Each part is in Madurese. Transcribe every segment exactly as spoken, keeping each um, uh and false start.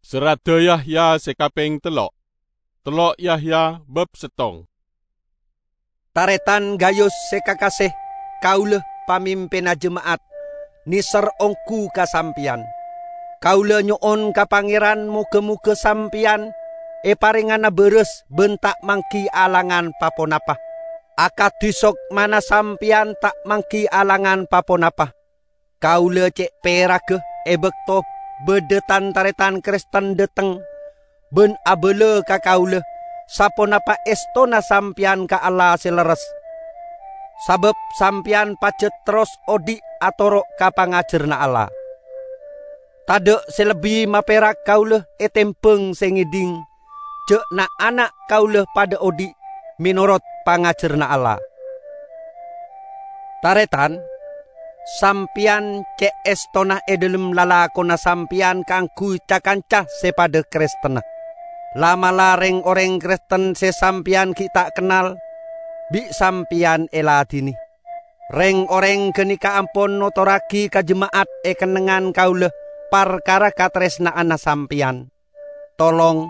Serradda Yahya se kapeng tello'. Tello' Yahya bab settong. Taretan Gayus se kakase, kaula pamimpinna jema'at, neser onggu ka sampeyan. Kaula nyo'on ka Pangeran moga-moga sampeyan eparengngana baras ban ta' manggi alangan pa-ponapa. Akadi sokmana sampeyan ta' manggi alangan pa-ponapa, kaula ce' peraga e bakto badha tan-taretan Kristen dhateng ban abala ka kaula saponapa estona sampeyan ka Allah se lerres, sabab sampeyan pajat terros odhi' atoro' ka pangajaranna Allah. Tadha' se lebbi maperak kaula etembang se ngedhing ja' na'-ana' kaula padha odhi' menorot pangajaranna Allah. Taretan, sampeyan ce' estona e dhalem lalakonna sampeyan kaangguy ca-kanca se padha Kristenna. La'-mala' reng-oreng Kristen se sampeyan gi' ta' kennal, bi' sampeyan eladine. Reng-oreng ganeka ampon notorragi ka jema'at e kennengngan kaula parkara kataresna'anna sampeyan. Tolong,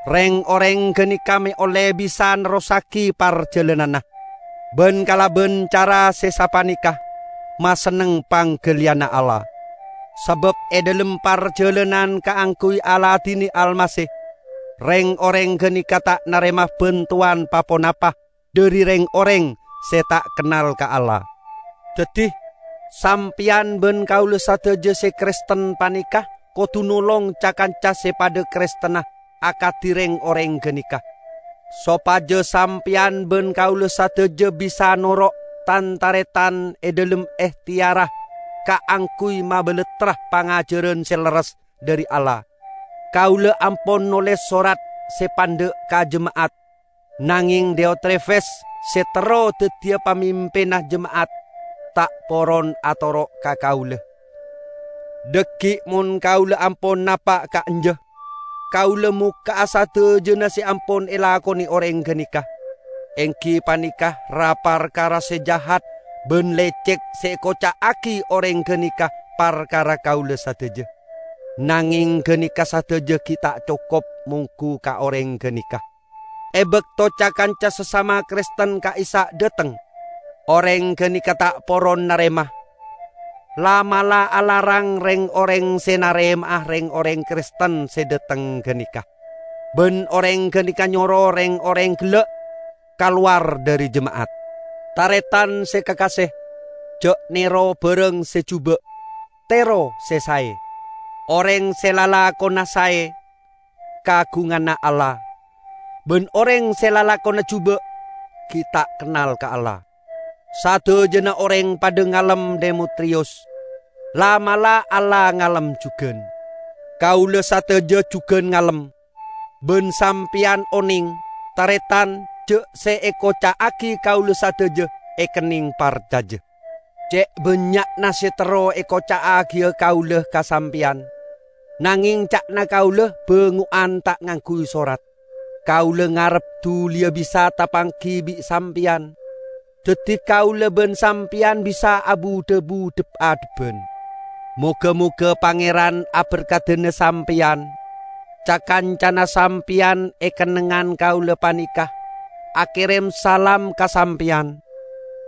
reng-oreng ganeka me' olle bisa nerrossagi parjalananna, ban kalaban cara se sapaneka masenneng panggaliyanna Allah. Sabab e dhalem parjalanan kaangguy aladine Almasih, reng-oreng ganeka ta' narema bantowan pa-ponapa dhari reng-oreng se ta' kennal ka Allah. Daddi, sampeyan ban kaula sadaja se Kristen paneka kodu nolong ca-kanca se padha Kristenna akadi reng-oreng ganeka, sopaja sampeyan ban kaula sadaja bisa noro' tan-taretan e dhalem ehteyarra kaangguy mabalattra pangajaran se lerres dhari Allah. Kaula ampon noles sorat se pandha' ka jema'at, nangeng Diotrefes se terro daddiya pamimpinna jema'at ta' poron atoro' ka kaula. Dhaggi' mon kaula ampon napa' ka'anja, kaula mokka'a sadajana se ampon elakone oreng ganeka, enggi paneka ra-parkara se jahat ban lecek se ekoca'agi oreng ganeka parkara kaula sadaja. Nangeng ganeka sadaja gi' ta' cokop monggu ka oreng ganeka. E bakto ca-kanca sasama Kristen ka'issa' dhateng, oreng ganeka ta' poron narema. La'-mala' alarang reng-oreng se narema'a reng-oreng Kristen se dhateng ganeka, ban oreng ganeka nyoro reng-oreng gella' kalowar dhari jema'at. Taretan se kakase, ja' nero barang se juba', tero se sae. Oreng se lalakonna sae kagunganna Allah, ban oreng se lalakonna juba' gi' ta' kennal ka Allah. Sadajana oreng padha ngalem Demetriyus. La'-mala' Allah ngalem jugan. Kaula sadaja jugan ngalem, ban sampeyan oneng, taretan, ja' se ekoca'agi kaula sadaja ekenneng parcaja. Ce' bannya'na se terro ekoca'agiya kaula ka sampeyan, nangeng ca'na kaula bango'an ta' ngangguy sorat. Kaula ngarep duliya bisa tapanggi bi' sampeyan, daddi kaula ban sampeyan bisa abu-dhabu dhep-adhebban. Moga-moga Pangeran aberkadana sampeyan. Ca-kancana sampeyan e kennengngan kaula paneka akerem salam ka sampeyan.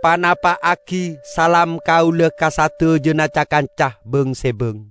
Panapa'agi salam kaula ka sadajana ca-kanca bang-sebang.